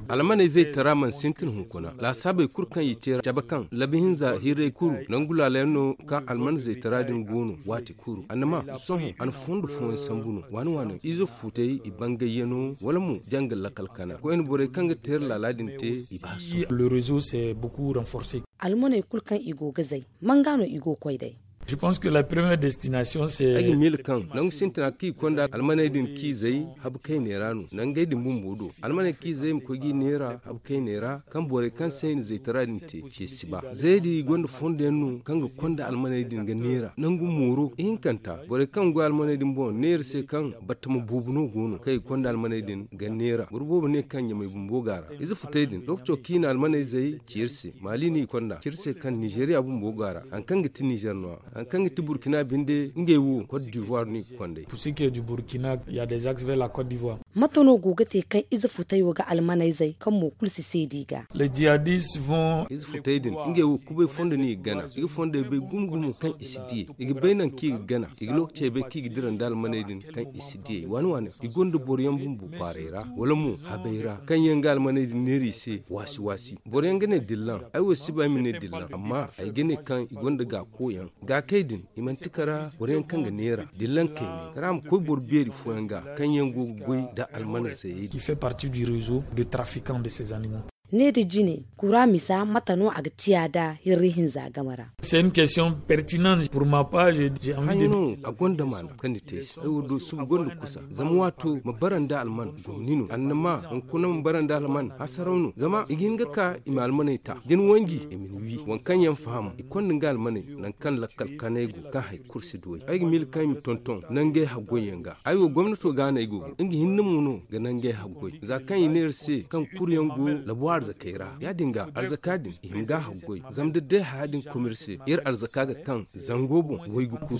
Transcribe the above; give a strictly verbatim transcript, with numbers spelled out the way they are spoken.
Almaney zaytara mana sintin hunkuna laasaabey kulu kaŋ i te ra cabe kaŋ labi hinza hirray kulu nangu laala yaŋ no kaŋ alman zaytara din go no waati kulu annama sohõ a na fondo fooyaŋ sambu no waani waani ize fuutay i bangay yaŋo wala mo janga lakal kana koyne borey kaŋ ga teera laala din te i ba sohõ. Almaney kulu kaŋ i go ga zay man ga no i go ga koy day? Ay ga miila kaŋ nangu sintina kaŋ i konda almaney din kaŋ i zay habu kayney ra no nangey din bumbo do almaney kaŋ i zay ma koy ga i neera habu kayney ra kaŋ borey kaŋ se i na zaytara din te ce si ba zayey din i gonda fondo yaŋ no kaŋ ga konda almaney din ga neera nangu mooro ihinkanta borey kaŋ ga goy almaney din boŋ neera se kaŋ battama boobo no go no kaŋ i konda almaney din ga neera boro boobo ne kaŋ ɲamay bumbo ga a ra ize futay din lookaco kaŋ i na almaney zay ci iri se maali no i konda ci iri se kaŋ nizeeriya bumbo go a ra hari kaŋ ga ti nizeer no- ya hari kaŋ ga ti burkina binde ngey wo kot divoir no i ga konda ay. Mate no go ga te kaŋ ize futay wo ga almaney zay kaŋ mo kulu si seedi i ga? Ize futay din ngey wo kubay fondo no i ga gana i ga fondey bay gumo gumo kaŋ i si diyey i ga bay nangu kaŋ i ga gana i ga lookacey bay kaŋ i ga dira nda almaney din kaŋ i si diyey waani waani i gonda boro yaŋ bumbo kwaaray ra wala mo habey ra kaŋ yaŋ ga almaney din neera i se waasi waasi boro yaŋ ga ne dillan ay wo si ba ay ma ne dillan amma ay ga ne kaŋ i gonda gaako yaŋ gaakey din i manti kara boro yaŋ kaŋ ga neera dillan kayne kara a ma koy boro beeri fooyaŋ ga kaŋ yaŋ go ga goy nda almana zayey din. Ne da jine kura misa mate no a ga ciya nda hirri hinza game ra? Hanyo no a gonda maana kaŋ ni te ay se ay wo do suba gonda kusa zama waato ma bara nda alman gomni no annama hunkuna ma bara nda alman hasaraw no zama i ga hin ga ka i ma almaney ta da ni wanji i ma ni wi waŋ kaŋ yaŋ faham i konda nga almaney nangu kaŋ lakkal kanay go kaŋ hari kulu si du ay ay ga miila kaŋ i ma tonton nangey haggoy yaŋ ga ay wo gomnato ga no ay go ga nga hinne mo no ga nangey haggoy za kaŋ i ne iri se kaŋ kuru yaŋ go labu arzakey ra ya- din ga arzaka din i hima ga haggoy zama da day haya din kuma iri se iri arzaka ga kaŋ zango boŋ waygu kulu.